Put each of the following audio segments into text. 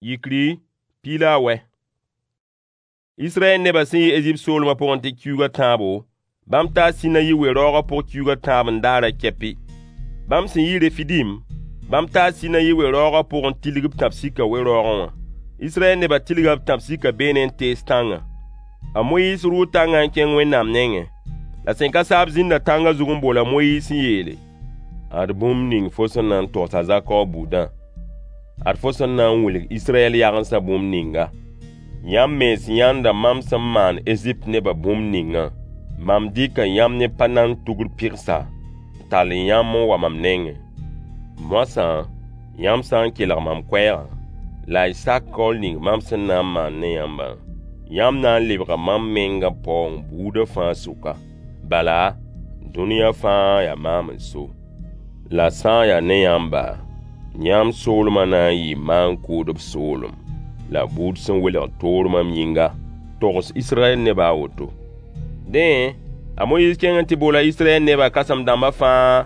Yikri, piig la a wɛ. Israyɛl nebã sẽn yi Ezipt soolmã pʋgẽ tɩ kiuug a tãabo, bãmb taa Sinayi we-raoogã pʋg kiuug a tãab n daarã kɛpɩ. Bãmb sẽn yi Refidim, bãmb taa Sinayi we-raoogã pʋg n tilg b tãb-sika we-raoogẽ wã. Israyɛl nebã tilga b tãb-sika beene n tees tãngã. A Moyiis rʋʋ tãngã n kẽng Wẽnnaam nengẽ. La sẽn ka saab zĩnda tãngã zug n bool a Moyiis n yeele: Ad bũmb ning fo sẽn na n togs a Zakob buudã, ad fo sẽn na n wilg Israyɛl yagensã bũmb ninga: Yãmb mens yãnda mam sẽn maan Ezipt nebã bũmb ningã. Mam dɩka yãmb ne pa-nand tugr pɩgsa, n tall yãmb n wa mam nengẽ. Moasã, yãmb sã n kelg mam koɛɛgã, la y sak kaool ning mam sẽn na n maan ne yãmbã, yãmb na n lebga mam mengã paoong buudã fãa sʋka. Bala, dũniyã fãa yaa maam n so. La sã n yaa ne yãmba, yãmb soolmã na n yɩɩ maan-kʋʋdb soolem, la buud sẽn welg toor mam yĩnga. Togs Israyɛl nebã a woto. Dẽ, a Moyiis kẽng n tɩ boola Israyɛl nebã kãsem-dãmbã fãa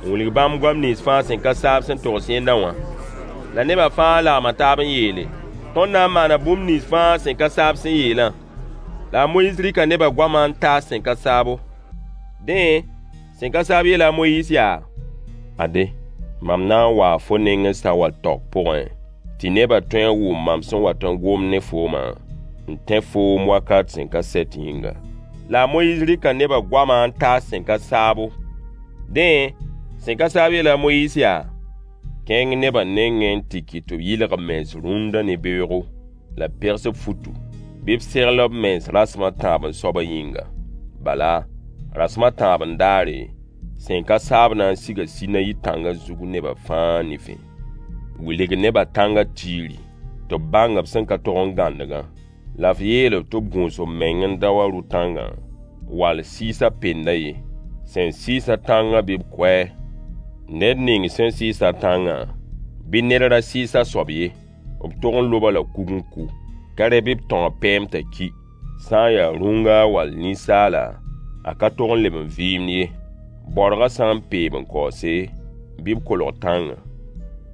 n wilg bãmb goam nins fãa sẽn ka saab sẽn togs yẽnda wã. La nebã fãa lagma taab n yeele: Tõnd na n maana bũmb nins fãa sẽn ka saab sẽn yeelã. La a Moyiis rɩka nebã goamã n taas sẽn ka saabo. Dẽ, sẽn ka saab yeela a Moyiis yaa: Ade, mam na n waa fo nengẽ sa-wal-taoog pʋgẽ, tɩ nebã tõe n wʋm mam sẽn wat n gomd ne foomã, n tẽ foom wakat sẽn ka sɛt yĩnga. La a Moyiis rɩka nebã goamã n taas sẽn ka saabo. Dẽ, sẽn ka saab yeela a Moyiis yaa: Kẽng nebã nengẽ n tɩ kɩt tɩ b yɩlg b mens rũndã ne beoogo, la b pegs b futu, bɩ b segl b mens rasem a tãab-n-soabã yĩnga. Bala, rasem a tãab-n-daare, sẽn ka saab na n siga Sinayi tãngã zug nebã fãa nifẽ. Wilg nebã tãngã tiiri, tɩ b bãng b sẽn ka tog n gãndgã. La f yeel-b tɩ b gũus b meng n da wa rʋ-tãngã, wall sɩɩsã penda ye. Sẽn sɩɩs-a tãngã bɩ b kʋ-a. Ned ning sẽn sɩɩs-a tãngã, bɩ ned ra sɩɩs a soab ye, b tog n lob-a la kug n kʋ. Ka rẽ bɩ b tão a pɛɛm t'a ki. Sã n ya rũnga wall ninsaala, a ka tog n leb n vɩɩmd ye. Baorgã sã n peeb n kaoose, bɩ b kolg tãngã.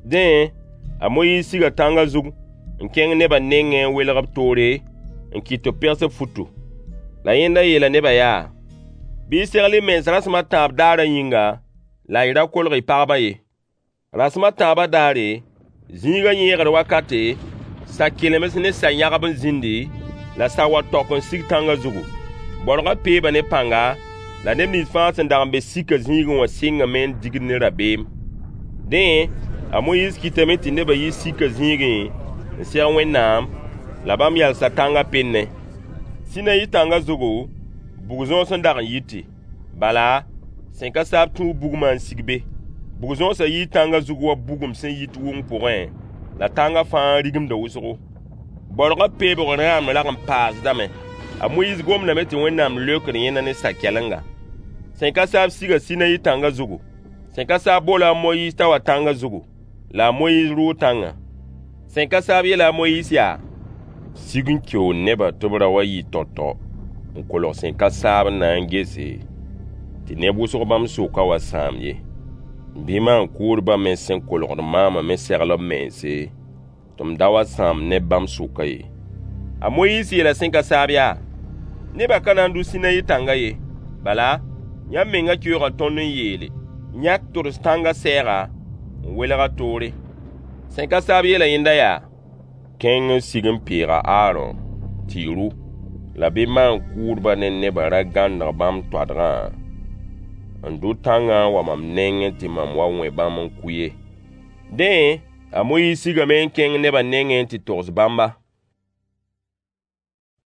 Dẽ, a Moyiis siga tãngã zug n kẽng nebã nengẽ n welg b toore n kɩt tɩ b pegs b futu. La yẽnda yeela nebã yaa: Bɩ y segl y mens rasem a tãab daarã yĩnga, la y ra kolg y pagbã ye. Rasem a tãabã daare, zĩigã yẽegr wakate, sa-kelemds ne sa-yãgb n zĩndi, la sa-wal-taok n sig tãngã zugu. Baorgã peeba ne pãnga, la neb nins fãa sẽn dag n be sika zĩigẽ wã sɩngame n digd ne rabeem. Dẽ, a Moyiis kɩtame tɩ nebã yi sika zĩigẽ n seg Wẽnnaam, la bãmb yalsa tãngã pennẽ. Sinayi tãngã zugu, bug-zõos n dag n yite. Bala, sẽn ka saab tũu bugmã n sig be. Bug-zõosã yii tãngã zug wa bugum sẽn yit wʋng pʋgẽ, la tãngã fãa rigimda wʋsgo. Baorgã peebg rãam rag n paasdame. A Moyiis gomdame tɩ Wẽnnaam leokd yẽnda ne sa-kɛlenga. Sẽn ka saab siga Sinayi tãngã zugu. Sẽn ka saab boola a Moyiis t'a wa tãngã zugu, la a Moyiis rʋʋ tãngã. Sẽn ka saab yeela a Moyiis yaa: Sig n keoog nebã tɩ b ra wa yɩ tao-tao n kolg sẽn ka saab n na n gese, tɩ neb wʋsg bãmb sʋkã wa sãam ye. Bɩ maan-kʋʋdbã me sẽn kolgd maamã me segl b mense, tɩ m da wa sãam neb bãmb sʋkã ye. A Moyiis yeela sẽn ka saab yaa: Nebã ka na n dʋ Sinayi tãngã ye. Bala, yãmb mengã keooga tõnd n yeele: Yãk tods tãngã sɛɛga n welg a toore. Sẽn ka saab yeela yẽnda yaa: Kẽng n sig n peeg a Aarõ tɩ y rʋ, la bɩ maan-kʋʋdbã ne nebã ra gãndg bãmb toadgã n dʋ tãngã n wa mam nengẽ tɩ mam wa wẽ bãmb n kʋ ye. Dẽ, a Moyiis sigame n kẽng nebã nengẽ n tɩ togs bãmba.